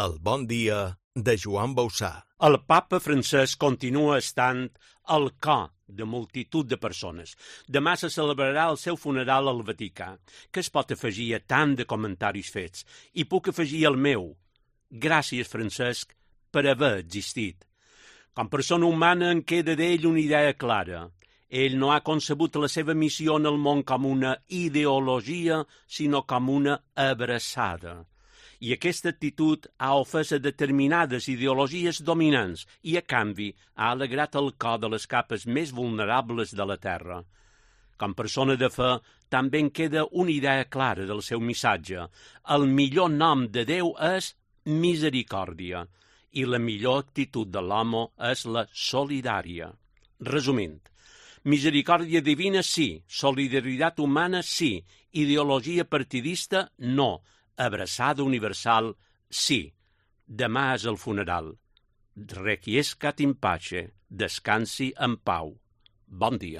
El bon dia de Joan Bausà. El papa francès continua estant al cor de multitud de persones. Demà se celebrarà el seu funeral al Vaticà. Què es pot afegir a tant de comentaris fets? I puc afegir el meu. Gràcies, Francesc, per haver existit. Com persona humana en queda d'ell una idea clara. Ell no ha concebut la seva missió en el món com una ideologia, sinó com una abraçada. I aquesta actitud ha ofès a determinades ideologies dominants i, a canvi, ha alegrat el cor de les capes més vulnerables de la terra. Com persona de fe, també en queda una idea clara del seu missatge. El millor nom de Déu és misericòrdia i la millor actitud de l'home és la solidària. Resumint, misericòrdia divina sí, solidaritat humana sí, ideologia partidista no, abraçada universal, sí. Demà és el funeral. Requiescat in pace, descansi en pau. Bon dia.